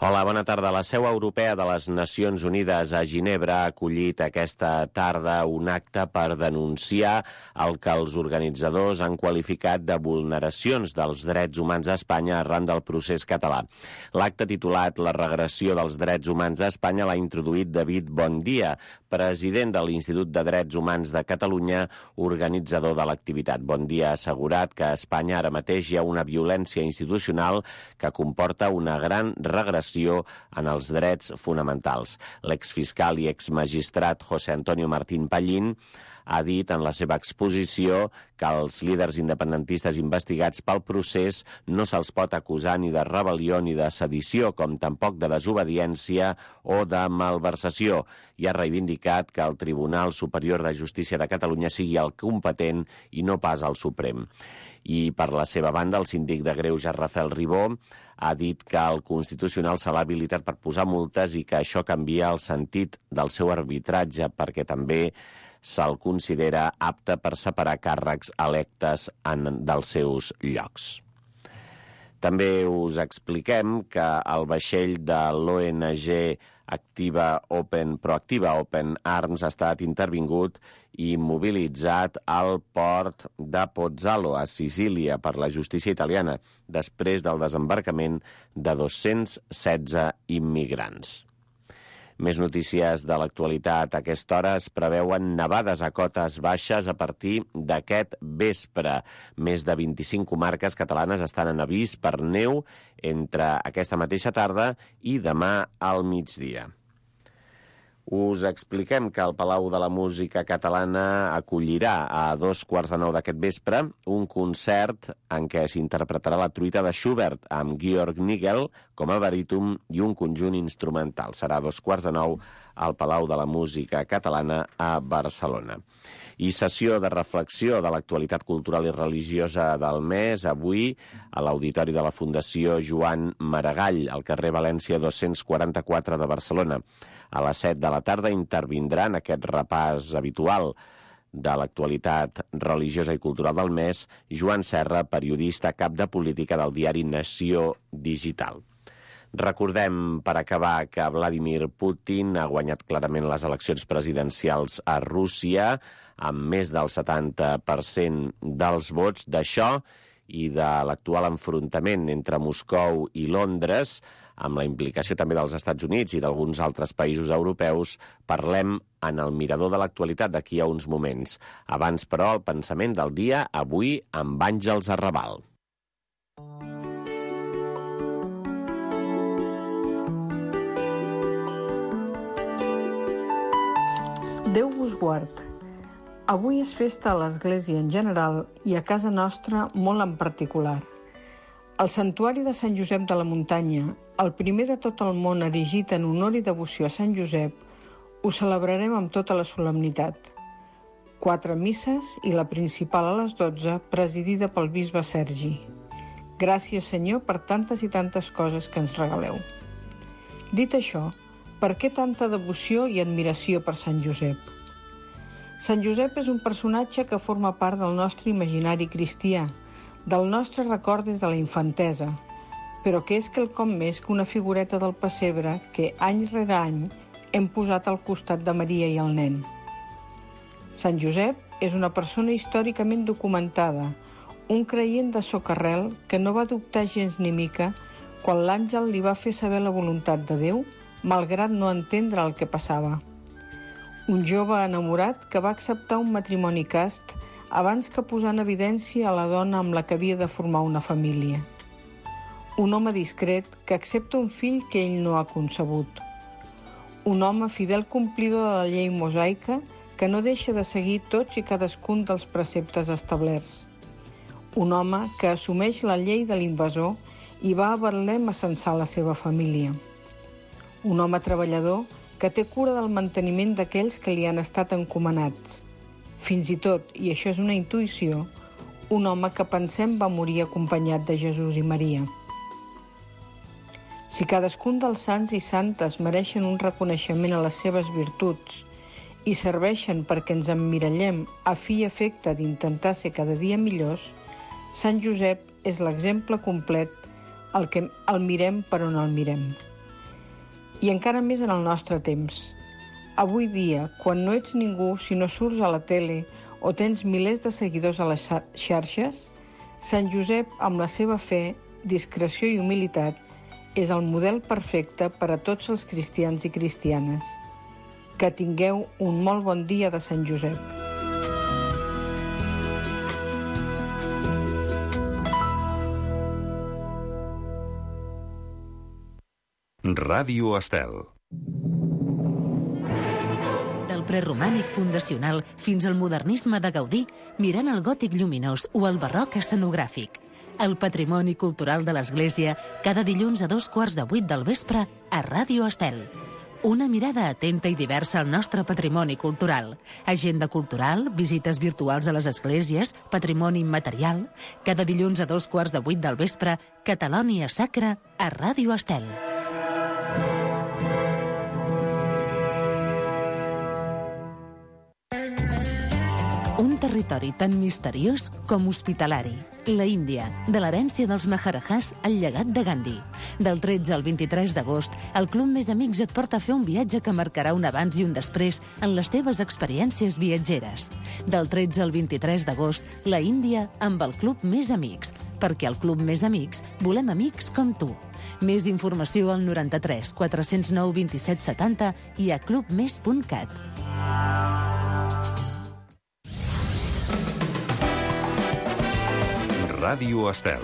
Hola, bona tarda. La seu europea de les Nacions Unides a Ginebra ha acollit aquesta tarda un acte per denunciar el que els organitzadors han qualificat de vulneracions dels drets humans a Espanya arran del procés català. L'acte titulat La regressió dels drets humans a Espanya l'ha introduït David Bondia, president de l'Institut de Drets Humans de Catalunya, organitzador de l'activitat. Bondia ha assegurat que a Espanya ara mateix hi ha una violència institucional que comporta una gran regressió en els drets fonamentals. L'exfiscal i exmagistrat José Antonio Martín Pallín ha dit en la seva exposició que els líders independentistes investigats pel procés no se'ls pot acusar ni de rebel·lió ni de sedició, com tampoc de desobediència o de malversació, i ha reivindicat que el Tribunal Superior de Justícia de Catalunya sigui el competent i no pas el Suprem. I per la seva banda, el síndic de Greuges Rafael Ribó ha dit que el Constitucional se l'ha habilitat per posar multes i que això canvia el sentit del seu arbitratge perquè també se'l considera apte per separar càrrecs electes dels seus llocs. També us expliquem que el vaixell de l'ONG Proactiva Open Arms ha estat intervingut i mobilitzat al port de Pozzallo, a Sicília, per la justícia italiana, després del desembarcament de 216 immigrants. Més notícies de l'actualitat. A aquesta hora es preveuen nevades a cotes baixes a partir d'aquest vespre. Més de 25 comarques catalanes estan en avís per neu entre aquesta mateixa tarda i demà al migdia. Us expliquem que el Palau de la Música Catalana acollirà a 2:15 d'aquest vespre un concert en què s'interpretarà la truita de Schubert amb Georg Nigel com a baríton i un conjunt instrumental. Serà a 2:15 al Palau de la Música Catalana a Barcelona. I sessió de reflexió de l'actualitat cultural i religiosa del mes, avui a l'Auditori de la Fundació Joan Maragall, al carrer València 244 de Barcelona. A les 7 de la tarda intervindrà en aquest repàs habitual de l'actualitat religiosa i cultural del mes Joan Serra, periodista cap de política del diari Nació Digital. Recordem, per acabar, que Vladimir Putin ha guanyat clarament les eleccions presidencials a Rússia amb més del 70% dels vots. D'això i de l'actual enfrontament entre Moscou i Londres, amb la implicació també dels Estats Units i d'alguns altres països europeus, parlem en el mirador de l'actualitat d'aquí a uns moments. Abans, però, el pensament del dia, avui amb Àngels Arrabal. Déu vos guard. Avui és festa a l'Església en general i a casa nostra molt en particular. El santuari de Sant Josep de la Muntanya, el primer de tot el món erigit en honor i devoció a Sant Josep, ho celebrarem amb tota la solemnitat. 4 misses i la principal a les 12, presidida pel bisbe Sergi. Gràcies, Senyor, per tantes i tantes coses que ens regaleu. Dit això, per què tanta devoció i admiració per Sant Josep? Sant Josep és un personatge que forma part del nostre imaginari cristià, del nostre record des de la infantesa, però que és quelcom més que una figureta del pessebre que any rere any hem posat al costat de Maria i el nen. Sant Josep és una persona històricament documentada, un creient de socarrel que no va dubtar gens ni mica quan l'àngel li va fer saber la voluntat de Déu, malgrat no entendre el que passava. Un jove enamorat que va acceptar un matrimoni cast abans que posar en evidència a la dona amb la que havia de formar una família. Un home discret que accepta un fill que ell no ha concebut. Un home fidel complidor de la llei mosaica que no deixa de seguir tots i cadascun dels preceptes establerts. Un home que assumeix la llei de l'invasor i va a Betlem a censar la seva família. Un home treballador que té cura del manteniment d'aquells que li han estat encomanats. Fins i tot, i això és una intuïció, un home que pensem va morir acompanyat de Jesús i Maria. Si cadascun dels sants i santes mereixen un reconeixement a les seves virtuts i serveixen perquè ens emmirallem a fi i efecte d'intentar ser cada dia millors, Sant Josep és l'exemple complet el que el mirem per on el mirem. i encara més en el nostre temps. Avui dia, quan no ets ningú si no surts a la tele o tens milers de seguidors a les xarxes, Sant Josep, amb la seva fe, discreció i humilitat, és el model perfecte per a tots els cristians i cristianes. Que tingueu un molt bon dia de Sant Josep. Ràdio Estel. Del preromànic fundacional fins al modernisme de Gaudí, mirant el gòtic lluminós o el barroc escenogràfic. El patrimoni cultural de l'Església, cada dilluns a 7:15 del vespre a Ràdio Estel. Una mirada atenta i diversa al nostre patrimoni cultural. Agenda cultural, visites virtuals a les esglésies, patrimoni immaterial. Cada dilluns a 7:15 del vespre, Catalònia Sacra a Ràdio Estel. Un territori tan misteriós com hospitalari. La Índia, de l'herència dels Maharajahs al llegat de Gandhi. Del 13 al 23 d'agost, el Club Més Amics et porta a fer un viatge que marcarà un abans i un després en les teves experiències viatgeres. Del 13 al 23 d'agost, la Índia amb el Club Més Amics. Perquè al Club Més Amics volem amics com tu. Més informació al 93 409 27 70 i a clubmes.cat. Ràdio Estel.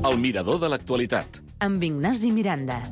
El mirador de l'actualitat. Amb Ignasi Miranda.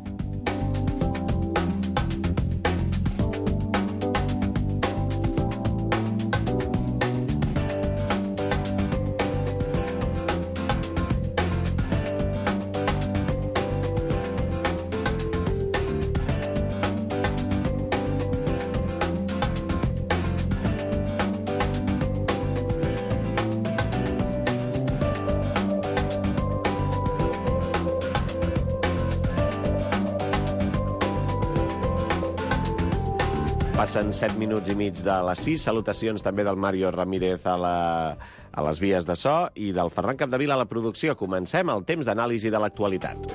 Passen 7 minuts i mig de les 6. Salutacions també del Mario Ramírez a les vies de so i del Ferran Capdevila a la producció. Comencem el temps d'anàlisi de l'actualitat.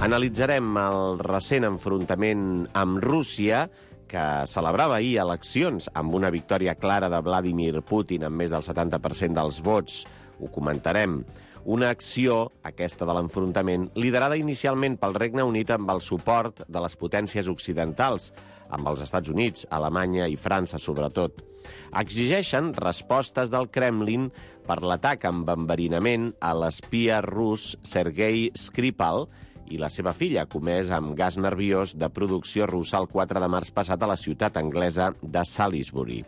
Analitzarem el recent enfrontament amb Rússia, que celebrava ahir eleccions amb una victòria clara de Vladimir Putin amb més del 70% dels vots. Ho comentarem. Una acció, aquesta de l'enfrontament, liderada inicialment pel Regne Unit amb el suport de les potències occidentals, amb els Estats Units, Alemanya i França, sobretot. Exigeixen respostes del Kremlin per l'atac amb enverinament a l'espia rus Sergei Skripal i la seva filla, comès amb gas nerviós de producció russa el 4 de març passat a la ciutat anglesa de Salisbury.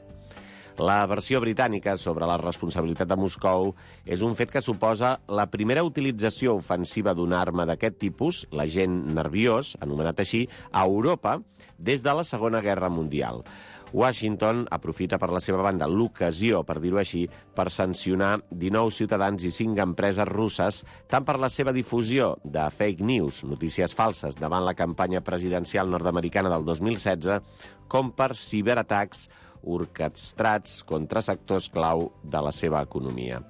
La versió britànica sobre la responsabilitat de Moscou és un fet que suposa la primera utilització ofensiva d'una arma d'aquest tipus, l'agent nerviós, anomenat així, a Europa des de la Segona Guerra Mundial. Washington aprofita per la seva banda l'ocasió, per dir-ho així, per sancionar 19 ciutadans i 5 empreses russes, tant per la seva difusió de fake news, notícies falses, davant la campanya presidencial nord-americana del 2016, com per ciberatacs orquestrats contra sectors clau de la seva economia.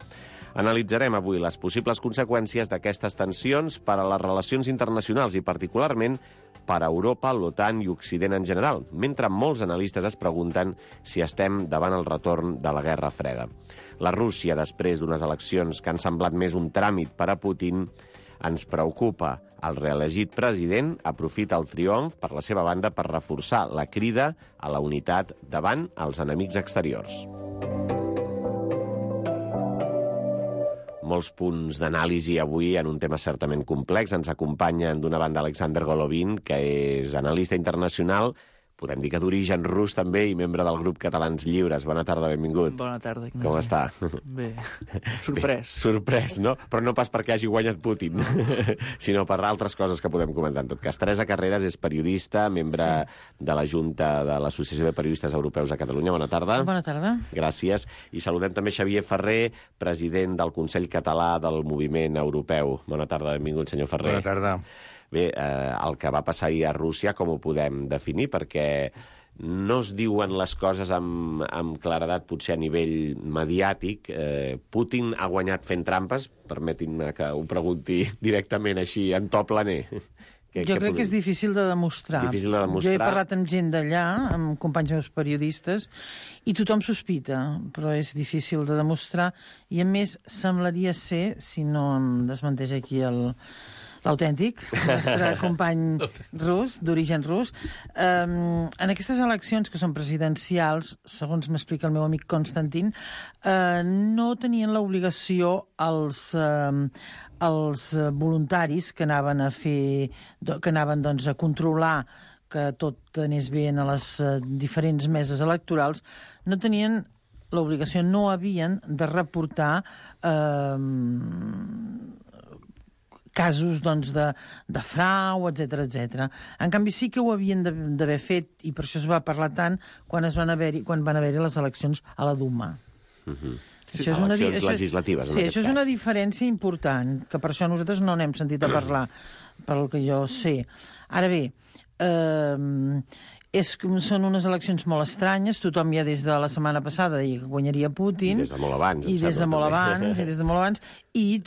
Analitzarem avui les possibles conseqüències d'aquestes tensions per a les relacions internacionals i particularment per a Europa, l'OTAN i Occident en general, mentre molts analistes es pregunten si estem davant el retorn de la Guerra Freda. La Rússia, després d'unes eleccions que han semblat més un tràmit per a Putin, ens preocupa. El reelegit president aprofita el triomf per la seva banda per reforçar la crida a la unitat davant els enemics exteriors. Molts punts d'anàlisi avui en un tema certament complex. Ens acompanyen d'una banda Alexander Golovin, que és analista internacional, podem dir que d'origen rus també i membre del grup Catalans Lliures. Bona tarda, benvingut. Bona tarda, Ignasi. Com està? Bé, sorprès. Bé, sorprès, no? Però no pas perquè hagi guanyat Putin, sinó per altres coses que podem comentar. En tot cas, Teresa Carreras és periodista, membre de la Junta de l'Associació de Periodistes Europeus de Catalunya. Bona tarda. Bona tarda. Gràcies. I saludem també Xavier Ferrer, president del Consell Català del Moviment Europeu. Bona tarda, benvingut, senyor Ferrer. Bona tarda. Bé, el que va passar ahir a Rússia, com ho podem definir? Perquè no es diuen les coses amb claredat, potser a nivell mediàtic. Putin ha guanyat fent trampes? Permetin-me que ho pregunti directament així, en to planer. Jo crec que és difícil de demostrar. Difícil de demostrar. Jo he parlat amb gent d'allà, amb companys meus periodistes, i tothom sospita, però és difícil de demostrar. I, a més, semblaria ser, si no em desmenteix aquí l'autèntic, el nostre company rus, d'origen rus, en aquestes eleccions que són presidencials, segons m'explica el meu amic Konstantin, no tenien l'obligació els voluntaris que anaven a controlar que tot anés bé a les diferents meses electorals, no tenien l'obligació, no havien de reportar casos de frau, etc. En canvi, sí que ho havien d'haver fet, i per això es va parlar tant quan van haver-hi les eleccions a la Duma. Eleccions legislatives. Sí, això és una diferència important, que per això nosaltres no n'hem sentit a parlar, pel que jo sé. Ara bé, són unes eleccions molt estranyes, tothom ja des de la setmana passada deia que guanyaria Putin. I des de molt abans. I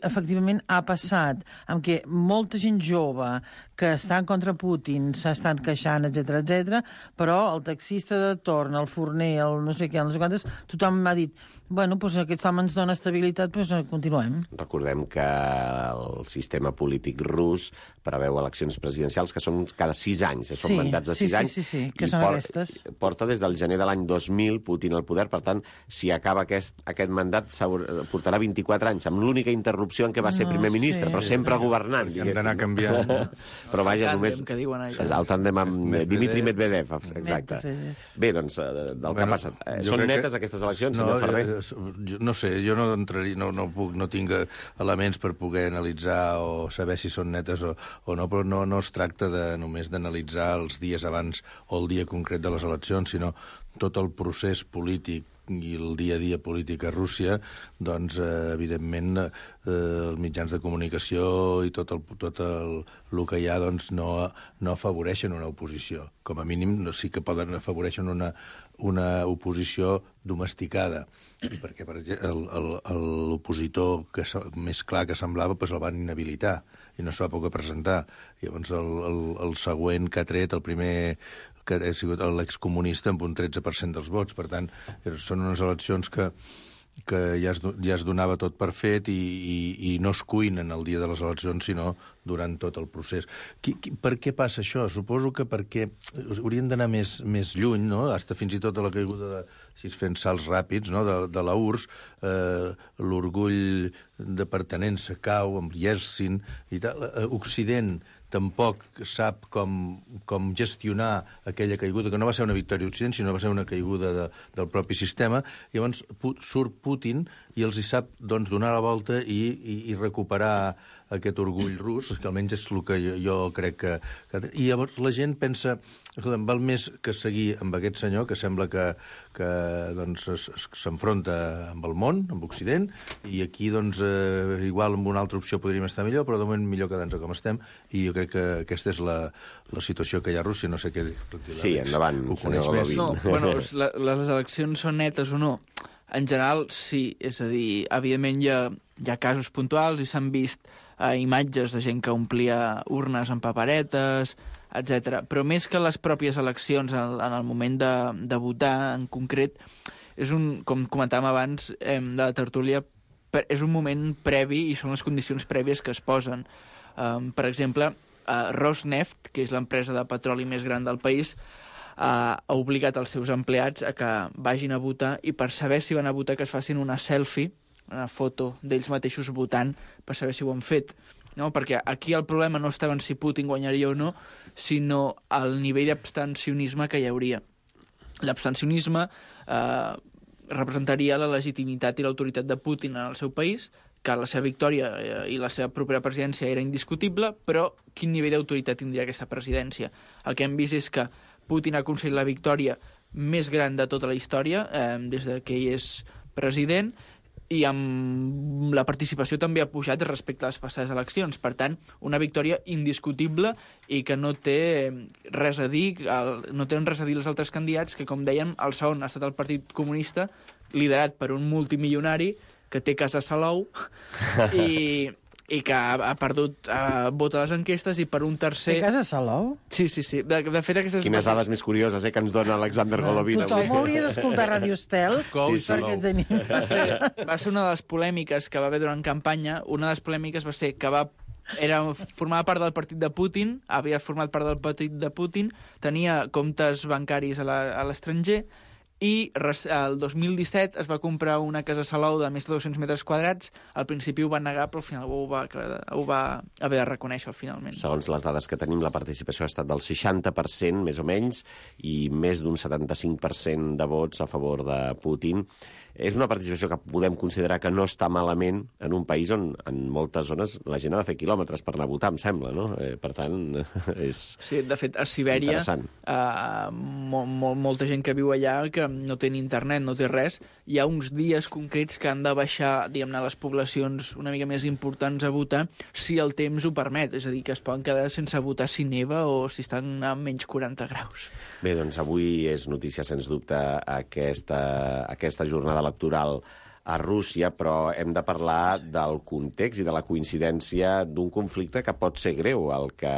efectivament ha passat amb què molta gent jove que està en contra Putin s'estan queixant, etc, però el taxista de torn, el forner, el no sé què, no sé quantes, tothom m'ha dit, bueno, doncs aquest home ens dona estabilitat, doncs continuem. Recordem que el sistema polític rus preveu eleccions presidencials que són cada 6 anys, són mandats de 6 anys. Sí, que són aquestes. Porta des del gener de l'any 2000 Putin al poder, per tant, si acaba aquest mandat, portarà 24 anys, amb l'única interrupció en què va ser primer ministre, però sempre governant. Hem d'anar canviant. Però vaja, només... El tàndem que diuen allà. El tàndem amb Dmitri Medvedev, exacte. Bé, doncs, del que ha passat. Són netes aquestes eleccions, senyor Ferrer? No sé, jo no entraria, no tinc elements per poder analitzar o saber si són netes o no, però no es tracta només d'analitzar els dies abans o el dia concret de les eleccions, sinó tot el procés polític i el dia a dia polític a Rússia, doncs, evidentment, els mitjans de comunicació i tot el que hi ha doncs, no afavoreixen una oposició. Com a mínim sí que poden afavoreixen una oposició domesticada. I perquè, per exemple, l'opositor més clar que semblava doncs el van inhabilitar i no es va poder presentar. Llavors, el següent que ha tret, el primer que ha sigut l'excomunista amb un 13% dels vots. Per tant, són unes eleccions que ja es donava tot per fet i no es cuinen el dia de les eleccions, sinó durant tot el procés. Per què passa això? Suposo que perquè haurien d'anar més lluny, no? Hasta fins i tot a la caiguda si es fent salts ràpids, no? De la URSS, l'orgull de pertenença cau amb Yeltsin i tal. Occident tampoc sap com gestionar aquella caiguda, que no va ser una victòria d'Occident, sinó va ser una caiguda del propi sistema. Llavors surt Putin i els hi sap donar la volta i recuperar aquest orgull rus, que almenys és el que jo crec que... I llavors la gent pensa, escolta'm, val més que seguir amb aquest senyor, que sembla que s'enfronta amb el món, amb Occident, i aquí, igual amb una altra opció podríem estar millor, però de moment millor quedar-nos com estem, i jo crec que aquesta és la situació que hi ha a Rússia, no sé què dir. Sí, endavant, senyor Golovin. No, bueno, les eleccions són netes o no? En general, sí. És a dir, evidentment hi ha casos puntuals i s'han vist imatges de gent que omplia urnes amb paperetes, etc. Però més que les pròpies eleccions en el moment de votar en concret, com comentàvem abans de la tertúlia, és un moment previ i són les condicions prèvies que es posen. Per exemple, Rosneft, que és l'empresa de petroli més gran del país, ha obligat els seus empleats a que vagin a votar i per saber si van a votar que es facin una selfie, una foto d'ells mateixos votant per saber si ho han fet. No? Perquè aquí el problema no estava en si Putin guanyaria o no, sinó el nivell d'abstencionisme que hi hauria. L'abstencionisme representaria la legitimitat i l'autoritat de Putin en el seu país, que la seva victòria i la seva propera presidència era indiscutible, però quin nivell d'autoritat tindria aquesta presidència? El que hem vist és que Putin ha aconseguit la victòria més gran de tota la història des que ell és president i amb la participació també ha pujat respecte a les passades eleccions. Per tant, una victòria indiscutible i que no té res a dir, no tenen res a dir els altres candidats, que, com dèiem, el segon ha estat el Partit Comunista, liderat per un multimilionari que té casa a Salou i que ha perdut vot a les enquestes, i per un tercer... Té casa a Salou? Sí. De fet, aquestes... Quines dades més curioses que ens dona Alexander Golovin. Tothom hauria d'escoltar Radio Estel perquè tenia... Va ser una de les polèmiques que va haver durant campanya. Una de les polèmiques va ser que formava part del partit de Putin, havia format part del partit de Putin, tenia comptes bancaris a l'estranger, i el 2017 es va comprar una casa a Salou de més de 200 metres quadrats. Al principi ho va negar, però al final ho va haver de reconèixer finalment. Segons les dades que tenim, la participació ha estat del 60%, més o menys, i més d'un 75% de vots a favor de Putin. És una participació que podem considerar que no està malament en un país on en moltes zones la gent ha de fer quilòmetres per anar a votar, em sembla, no? Per tant, és sí, de fet, a Sibèria, molta gent que viu allà que no té ni internet, no té res, hi ha uns dies concrets que han de baixar, diguem-ne, les poblacions una mica més importants a votar si el temps ho permet, és a dir, que es poden quedar sense votar si neva o si estan a menys 40 graus. Bé, doncs avui és notícia, sens dubte, aquesta jornada electoral a Rússia, però hem de parlar del context i de la coincidència d'un conflicte que pot ser greu, el que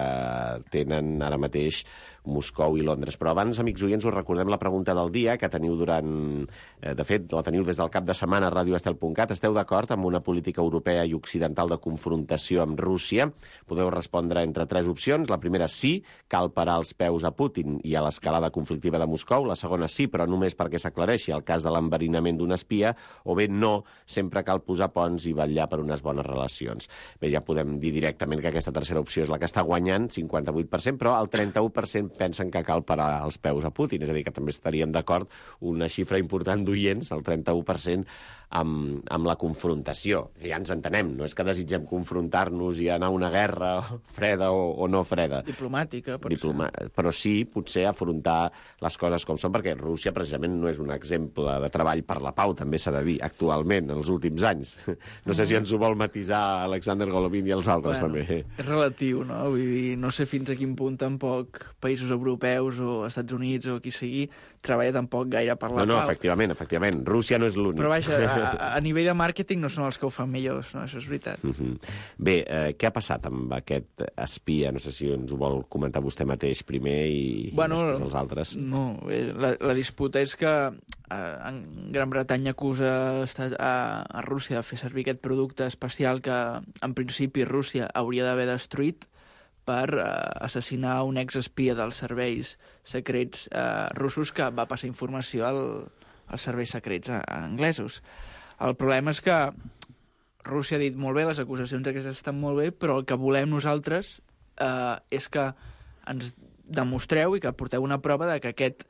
tenen ara mateix Moscou i Londres. Però abans, amics oients, us recordem la pregunta del dia que teniu de fet, la teniu des del cap de setmana a radioestel.cat. Esteu d'acord amb una política europea i occidental de confrontació amb Rússia? Podeu respondre entre 3 opcions. La primera, sí, cal parar els peus a Putin i a l'escalada conflictiva de Moscou. La segona, sí, però només perquè s'aclareixi el cas de l'enverinament d'un espia. O bé, no, sempre cal posar ponts i vetllar per unes bones relacions. Bé, ja podem dir directament que aquesta tercera opció és la que està guanyant, 58%, però el 31% pensen que cal parar els peus a Putin. És a dir, que també estaríem d'acord, una xifra important d'oients, el 31%, amb la confrontació. Ja ens entenem, no és que desitgem confrontar-nos i anar a una guerra freda o no freda. Diplomàtica, però sí, potser afrontar les coses com són, perquè Rússia precisament no és un exemple de treball per la pau, també s'ha de dir, actualment, en els últims anys. No sé si ens ho vol matisar Alexander Golovin i els altres, també. És relatiu, no? Vull dir, no sé fins a quin punt tampoc països europeus o Estats Units o qui sigui treballa tampoc gaire per la pau. No, efectivament. Rússia no és l'únic. Però vaja, a nivell de màrqueting no són els que ho fan millors, no? Això és veritat. Bé, què ha passat amb aquest espia? No sé si ens ho vol comentar vostè mateix primer i després els altres. No, la disputa és que en Gran Bretanya acusa a Rússia de fer servir aquest producte especial que en principi Rússia hauria d'haver destruït per assassinar un exespia dels serveis secrets russos que va passar informació als serveis secrets anglesos. El problema és que Rússia ha dit molt bé, les acusacions aquestes estan molt bé, però el que volem nosaltres és que ens demostreu i que porteu una prova de que aquest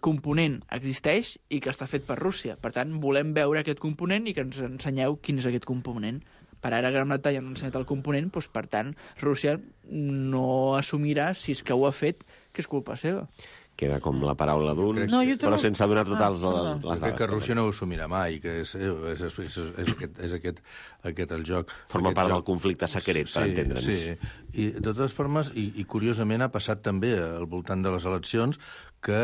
component existeix i que està fet per Rússia. Per tant, volem veure aquest component i que ens ensenyeu quin és aquest component. Per ara Gran Bretanya no ha ensenyat el component, doncs, per tant, Rússia no assumirà, si és que ho ha fet, que és culpa seva. Queda com la paraula d'un, però sense donar totes les dades. Crec que Rússia no ho assumirà mai, que és aquest el joc. Forma part del conflicte secret, per entendre'ns. Sí, i de totes formes, i curiosament ha passat també al voltant de les eleccions que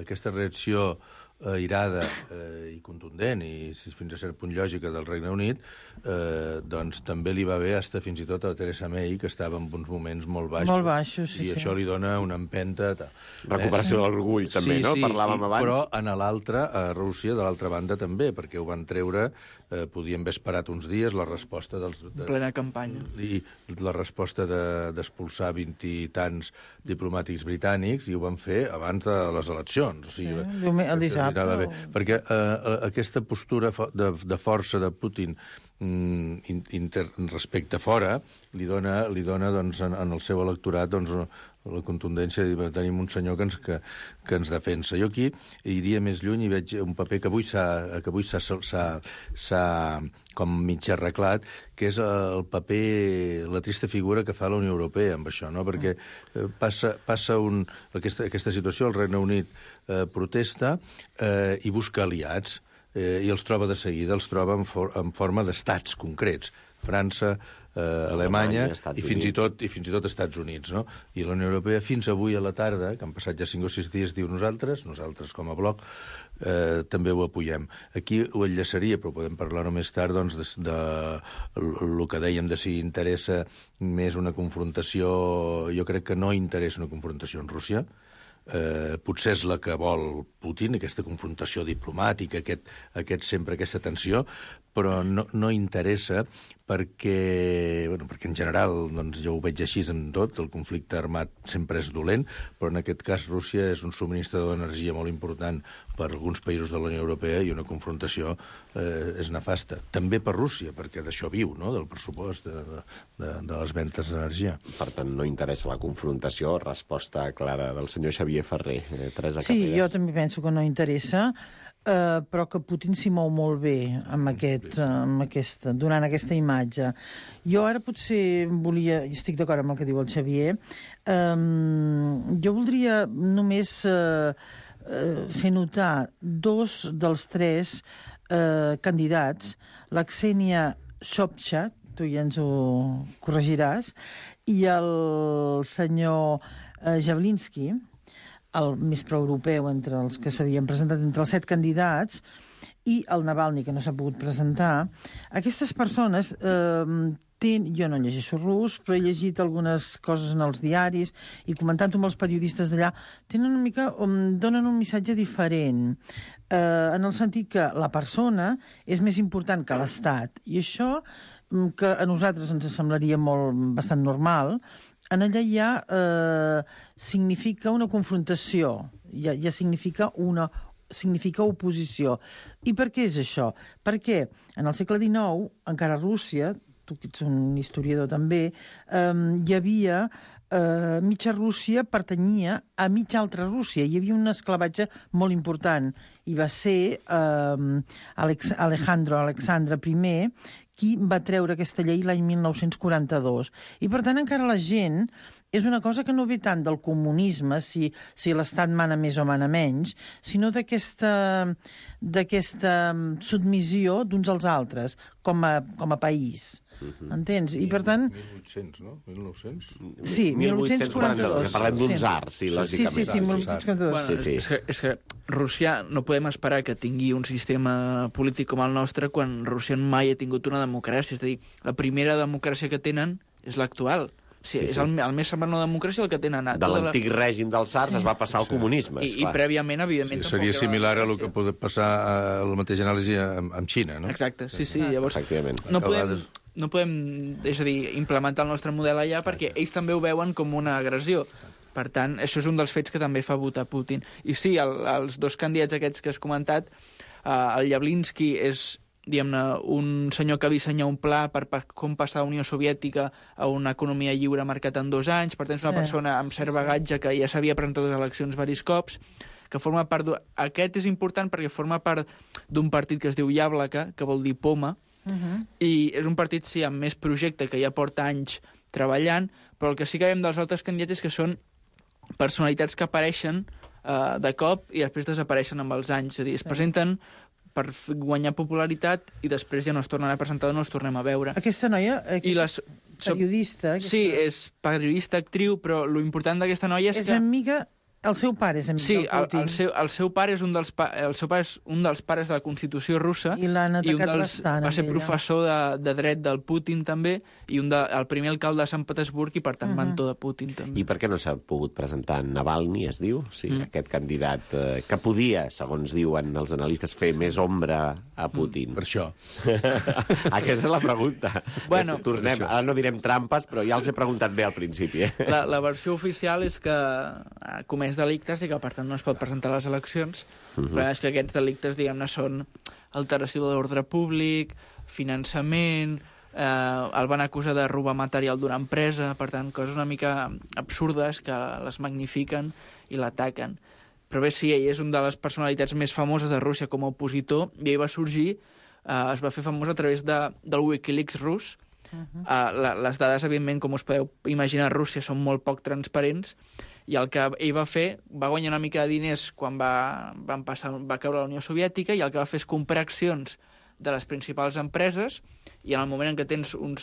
aquesta reacció airada i contundent i fins a cert punt lògica del Regne Unit, doncs també li va bé fins i tot a Theresa May, que estava en uns moments molt baixos. Molt baixos, sí. I això li dona una empenta. Recuperació de l'orgull, també, no? Parlàvem abans. Però a l'altra, a Rússia, de l'altra banda, també, perquè ho van treure, podien haver esperat uns dies, la resposta plena campanya. I la resposta d'expulsar 20 i tants diplomàtics britànics, i ho van fer abans de les eleccions. O sigui, el dissabte. Perquè aquesta postura de força de Putin respecte a fora li dona doncs, en el seu electorat doncs, la contundència de tenir un senyor que ens defensa. Jo aquí iria més lluny i veig un paper que avui s'ha com mig arreglat, que és el paper, la trista figura que fa la Unió Europea amb això, no? Perquè passa aquesta situació, el Regne Unit protesta i busca aliats. i els troba de seguida, els troba en forma d'estats concrets. França, Alemanya i fins i tot Estats Units, no? I la Unió Europea fins avui a la tarda, que han passat ja 5 o 6 dies, diu nosaltres com a bloc, també ho apoyem. Aquí ho enllaçaria, però podem parlar-ho més tard, doncs, de el que dèiem de si interessa més una confrontació. Jo crec que no interessa una confrontació amb Rússia. Potser és la que vol Putin, aquesta confrontació diplomàtica, aquesta tensió, però no interessa perquè en general, doncs, jo ho veig així en tot, el conflicte armat sempre és dolent, però en aquest cas Rússia és un subministrador d'energia molt important per alguns països de la Unió Europea i una confrontació és nefasta. També per Rússia, perquè d'això viu, no?, del pressupost de les ventes d'energia. Per tant, no interessa la confrontació. Resposta clara del senyor Xavier Ferrer. Teresa Carreras. Sí, jo també penso que no interessa, però que Putin s'hi mou molt bé donant aquesta imatge. Jo ara potser estic d'acord amb el que diu el Xavier, jo voldria només fer notar 2 dels 3 candidats, la Ksenia Sobchak, tu ja ens ho corregiràs, i el senyor Javlinsky, el més proeuropeu entre els que s'havien presentat, entre els 7 candidats, i el Navalny, que no s'ha pogut presentar. Aquestes persones jo no llegeixo rus, però he llegit algunes coses en els diaris i comentant-ho amb els periodistes d'allà, donen un missatge diferent, en el sentit que la persona és més important que l'Estat. I això, que a nosaltres ens semblaria bastant normal, en allà ja significa una confrontació, ja significa oposició. I per què és això? Perquè en el segle XIX, encara a Rússia, tu que ets un historiador també, hi havia mitja Rússia pertanyia a mitja altra Rússia. Hi havia un esclavatge molt important i va ser Alexandre I qui va treure aquesta llei l'any 1942. I, per tant, encara la gent és una cosa que no ve tant del comunisme, si l'Estat mana més o mana menys, sinó d'aquesta submissió d'uns als altres, com a país. Entens? I, per tant... 1800, no? 1900? Sí, 1842. Parlem d'un tsar, sí, lògicament. Sí, 1842. És que Rússia no podem esperar que tingui un sistema polític com el nostre quan Rússia mai ha tingut una democràcia. És a dir, la primera democràcia que tenen és l'actual. Sí. És el més semblant a una democràcia el que tenen. De l'antic règim dels tsars es va passar al comunisme. I prèviament, evidentment... Sí, seria similar a el que pot passar a la mateixa anàlisi amb Xina, no? Exacte, sí. Llavors, efectivament. No podem, és a dir, implementar el nostre model allà perquè ells també ho veuen com una agressió. Per tant, això és un dels fets que també fa votar Putin. I sí, els 2 candidats aquests que has comentat, el Javlinsky és, diguem-ne, un senyor que va dissenyar un pla per com passar la Unió Soviètica a una economia lliure marcat en 2 anys. Per tant, és una persona amb cert bagatge que ja s'havia presentat a les eleccions diversos cops, que forma part... Aquest és important perquè forma part d'un partit que es diu Yablaka, que vol dir poma, i és un partit, sí, amb més projecte, que ja porta anys treballant, però el que sí que veiem dels altres candidats és que són personalitats que apareixen de cop i després desapareixen amb els anys. És a dir, es presenten per guanyar popularitat i després ja no es tornen a presentar, no els tornem a veure. Aquesta noia, periodista... Sí, és periodista, actriu, però lo important d'aquesta noia és que... És amiga... El seu pare és amic del Putin. Sí, el seu pare és un dels pares de la Constitució russa i va ser professor de dret del Putin també i el primer alcalde de Sant Petersburg i per tant mentor de Putin també. I per què no s'ha pogut presentar Navalny, es diu? Sí, aquest candidat que podia, segons diuen els analistes, fer més ombra a Putin. Per això. Aquesta és la pregunta. Bueno, tornem. Ara no direm trampes, però ja els he preguntat bé al principi. La versió oficial és que comès delictes i que, per tant, no es pot presentar a les eleccions. Però és que aquests delictes, diguem-ne, són alteració de l'ordre públic, finançament, el van acusar de robar material d'una empresa, per tant, coses una mica absurdes que les magnifiquen i l'ataquen. Però bé, sí, ell és una de les personalitats més famoses de Rússia com a opositor i ell va sorgir, es va fer famós a través del Wikileaks rus. Les dades, evidentment, com us podeu imaginar, a Rússia són molt poc transparents I el que ell va fer, va guanyar una mica de diners quan va caure la Unió Soviètica, i el que va fer és comprar accions de les principals empreses, i en el moment en què tens un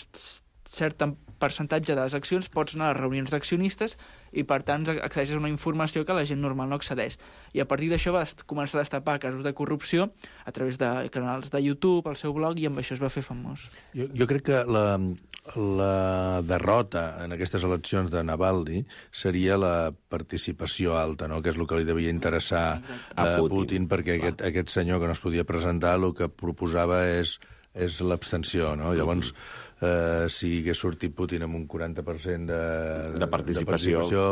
cert percentatge de les accions pots anar a les reunions d'accionistes i, per tant, accedeixes a una informació que la gent normal no accedeix. I a partir d'això va començar a destapar casos de corrupció a través de canals de YouTube, el seu blog, i amb això es va fer famós. Jo crec que la derrota en aquestes eleccions de Navalny seria la participació alta, no? Que és el que li devia interessar a Putin, perquè aquest senyor que no es podia presentar el que proposava és l'abstenció, no? Llavors, si hagués sortit Putin amb un 40% de participació,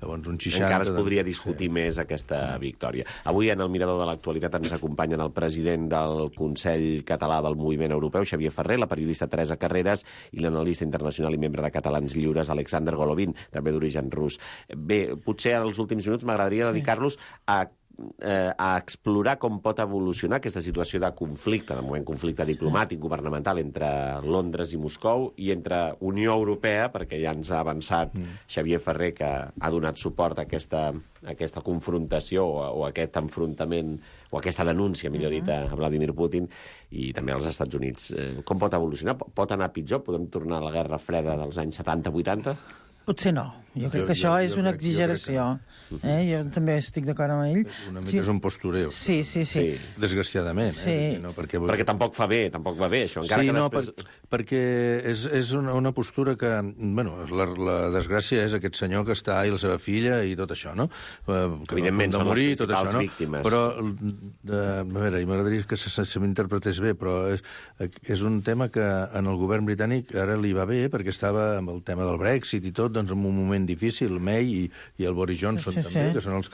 doncs, un 60... Encara es podria discutir més aquesta victòria. Avui, en el Mirador de l'Actualitat, ens acompanyen el president del Consell Català del Moviment Europeu, Xavier Ferrer, la periodista Teresa Carreras i l'analista internacional i membre de Catalans Lliures, Alexander Golovin, també d'origen rus. Bé, potser en els últims minuts m'agradaria dedicar-los a explorar com pot evolucionar aquesta situació de conflicte, de moment conflicte diplomàtic, governamental, entre Londres i Moscou, i entre Unió Europea, perquè ja ens ha avançat Xavier Ferrer, que ha donat suport a aquesta confrontació o a aquest enfrontament, o aquesta denúncia, millor dit, a Vladimir Putin, i també als Estats Units. Com pot evolucionar? Pot anar pitjor? Podem tornar a la Guerra Freda dels anys 70-80? Potser no. Jo crec que això és una exageració. Jo també estic d'acord amb ell. Una mica és un postureo. Sí. Desgraciadament. Perquè tampoc va bé, això. Perquè és una postura que... Bueno, la desgràcia és aquest senyor que està i la seva filla i tot això, no? Evidentment, són les principals víctimes. Però, a veure, m'agradaria que se m'interpretés bé, però és un tema que en el govern britànic ara li va bé, perquè estava amb el tema del Brexit i tot, doncs en un moment difícil, May i el Boris Johnson també, que són els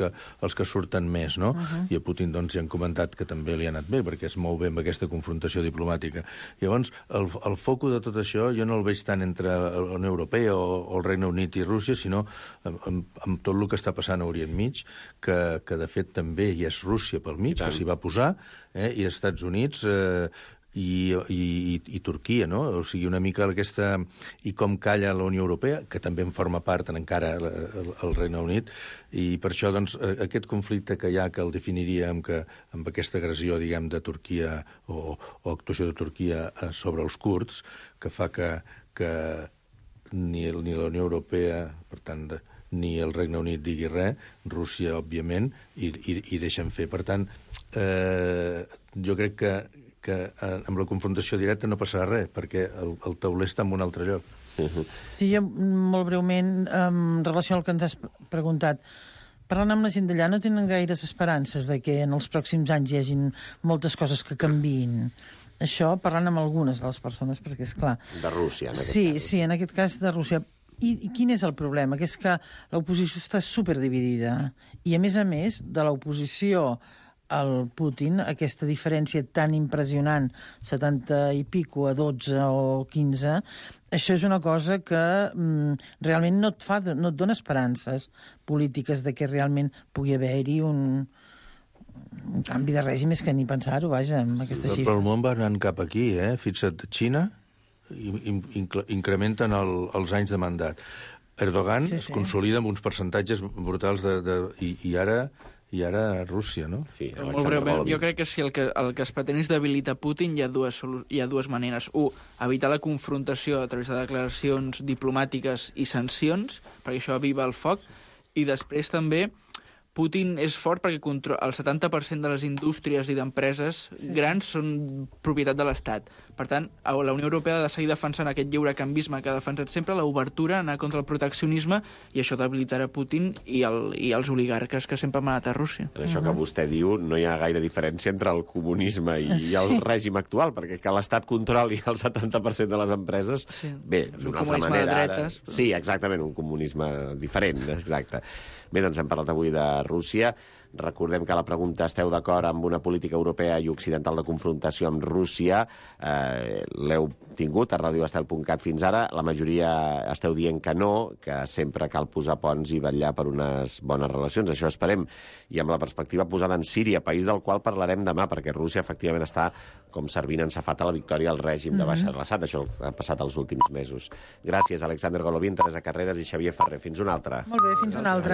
que surten més, no? I a Putin, doncs, ja han comentat que també li ha anat bé, perquè es mou bé amb aquesta confrontació diplomàtica. Llavors, el foco de tot això jo no el veig tant entre la Unió Europea o el Regne Unit i Rússia, sinó amb tot el que està passant a Orient Mig, que de fet també hi és Rússia pel mig, que s'hi va posar, i Estats Units... I Turquia, no? O sigui, una mica aquesta... I com calla la Unió Europea, que també en forma part encara el Regne Unit, i per això, doncs, aquest conflicte que hi ha, que el definiria amb aquesta agressió, diguem, de Turquia o actuació de Turquia sobre els kurds, que fa que ni la Unió Europea, per tant, ni el Regne Unit digui res, Rússia, òbviament, i deixen fer. Per tant, jo crec que amb la confrontació directa no passarà res, perquè el tauler està en un altre lloc. Sí, jo, molt breument, en relació al que ens has preguntat, parlant amb la gent d'allà, no tenen gaires esperances de que en els pròxims anys hi hagin moltes coses que canviïn. Això, parlant amb algunes de les persones, perquè és clar... De Rússia, en aquest cas. Sí, en aquest cas de Rússia. I quin és el problema? Que és que l'oposició està superdividida. I, a més, de l'oposició al Putin, aquesta diferència tan impressionant, 70 i pico a 12 o 15, això és una cosa que realment no et dona esperances polítiques de que realment pugui haver-hi un canvi de règim, és que ni pensar-ho, vaja, amb aquesta xifra. Però el món va anant cap aquí, Fixa't, Xina incrementen els anys de mandat. Erdogan es consolida amb uns percentatges brutals i ara Rússia, no? Sí, molt breument, jo crec que si el que es pretén és debilitar Putin, hi ha dues maneres. Evitar la confrontació a través de declaracions diplomàtiques i sancions, perquè això aviva el foc, i després també Putin és fort perquè el 70% de les indústries i d'empreses grans són propietat de l'Estat. Per tant, la Unió Europea ha de seguir defensant aquest lliurecanvisme que ha defensat sempre, l'obertura, anar contra el proteccionisme, i això debilitarà Putin i els oligarques que sempre han manat a Rússia. En això que vostè diu, no hi ha gaire diferència entre el comunisme i el règim actual, perquè que l'Estat controli el 70% de les empreses, bé, d'una altra manera... de dretes. Sí, exactament, un comunisme diferent, exacte. Bé, doncs hem parlat avui de Rússia. Recordem que la pregunta: esteu d'acord amb una política europea i occidental de confrontació amb Rússia? L'heu tingut a radioestel.cat fins ara. La majoria esteu dient que no, que sempre cal posar ponts i vetllar per unes bones relacions. Això esperem. I amb la perspectiva posada en Síria, país del qual parlarem demà, perquè Rússia efectivament està com servint en safata la victòria al règim de Bashar al-Assad. Això ha passat els últims mesos. Gràcies, Alexander Golovin, Teresa Carreras i Xavier Ferrer. Fins una altra. Molt bé, fins una altra.